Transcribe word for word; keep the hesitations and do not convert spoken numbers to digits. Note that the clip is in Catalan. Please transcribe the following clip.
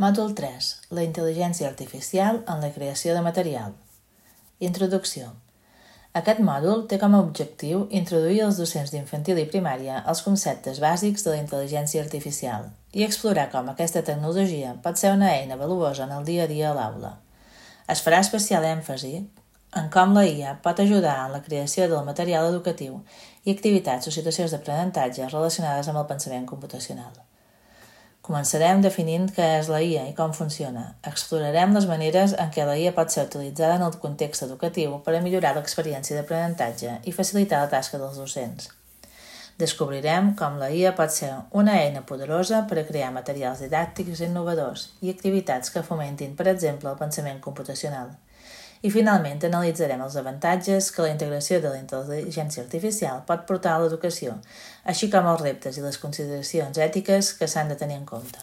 Mòdul tres. La intel·ligència artificial en la creació de material. Introducció. Aquest mòdul té com a objectiu introduir als docents d'infantil i primària els conceptes bàsics de la intel·ligència artificial i explorar com aquesta tecnologia pot ser una eina valuosa en el dia a dia a l'aula. Es farà especial èmfasi en com la I A pot ajudar en la creació del material educatiu i activitats o situacions d'aprenentatge relacionades amb el pensament computacional. Començarem definint què és la I A i com funciona. Explorarem les maneres en què la I A pot ser utilitzada en el context educatiu per a millorar l'experiència d'aprenentatge i facilitar la tasca dels docents. Descobrirem com la I A pot ser una eina poderosa per a crear materials didàctics innovadors i activitats que fomentin, per exemple, el pensament computacional. I finalment analitzarem els avantatges que la integració de la intel·ligència artificial pot portar a l'educació, així com els reptes i les consideracions ètiques que s'han de tenir en compte.